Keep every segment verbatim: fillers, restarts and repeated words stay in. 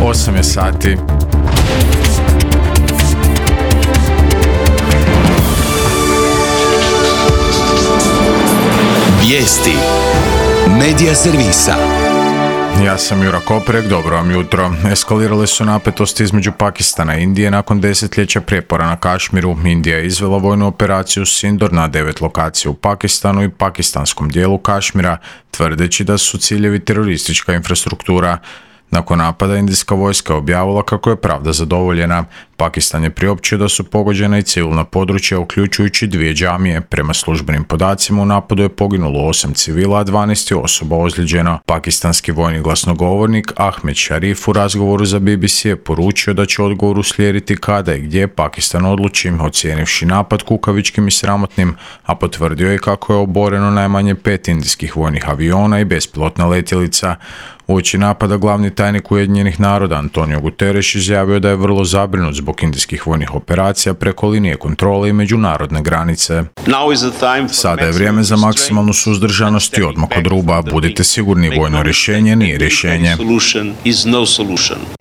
osam je sati. Vijesti Medija servisa. Ja sam Jura Koprek, dobro vam jutro. Eskalirale su napetosti između Pakistana i Indije nakon desetljeća prijepora na Kašmiru. Indija je izvela vojnu operaciju Sindor na devet lokacija u Pakistanu i pakistanskom dijelu Kašmira, tvrdeći da su ciljevi teroristička infrastruktura. Nakon napada indijska vojska je objavila kako je pravda zadovoljena. Pakistan je priopćio da su pogođena i civilna područja, uključujući dvije džamije. Prema službenim podacima u napadu je poginulo osam civila, a dvanaest je osoba ozlijeđeno. Pakistanski vojni glasnogovornik Ahmed Sharif u razgovoru za B B C je poručio da će odgovor uslijediti kada i gdje Pakistan odluči, ocijenivši napad kukavičkim i sramotnim, a potvrdio je kako je oboreno najmanje pet indijskih vojnih aviona i bespilotna letjelica. Uoči napada glavni tajnik Ujedinjenih naroda Antonio Guterres izjavio da je vrlo zabrinut zbog indijskih vojnih operacija preko linije kontrole i međunarodne granice. Sada je vrijeme za maksimalnu suzdržanost i odmak od ruba. Budite sigurni, vojno rješenje nije rješenje.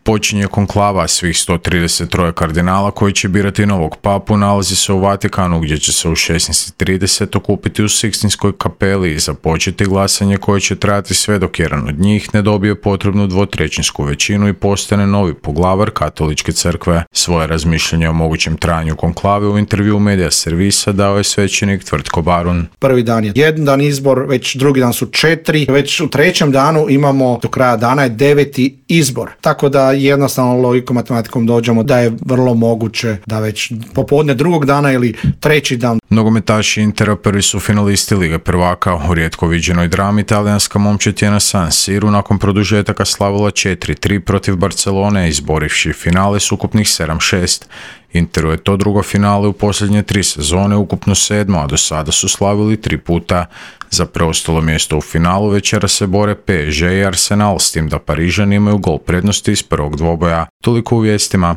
Počinje konklava svih sto trideset tri kardinala koji će birati novog papu, nalazi se u Vatikanu gdje će se u šesnaest trideset okupiti u Sikstinskoj kapeli i započeti glasanje koje će trajati sve dok jedan od njih ne dobije potrebnu dvotrećinsku većinu i postane novi poglavar katoličke crkve. Svoje razmišljanje o mogućem trajanju konklave u intervju Medija servisa dao je svećenik Tvrtko Barun. Prvi dan je jedan dan izbor, već drugi dan su četiri, već u trećem danu imamo do kraja dana je deveti izbor. Tako da jednostavno logikom matematikom dođemo da je vrlo moguće da već popodne drugog dana ili treći dan. Nogometaši Intera prvi su finalisti Lige prvaka. U rijetko viđenoj drami talijanska momčad je na San Siru nakon produžetaka slavila četiri tri protiv Barcelone, izborivši finale s ukupnih sedam šest. Interu je to drugo finale u posljednje tri sezone, ukupno sedmo, a do sada su slavili tri puta. Za preostalo mjesto u finalu večera se bore P S G i Arsenal, s tim da Parižani imaju gol prednosti iz prvog dvoboja. Toliko u vijestima.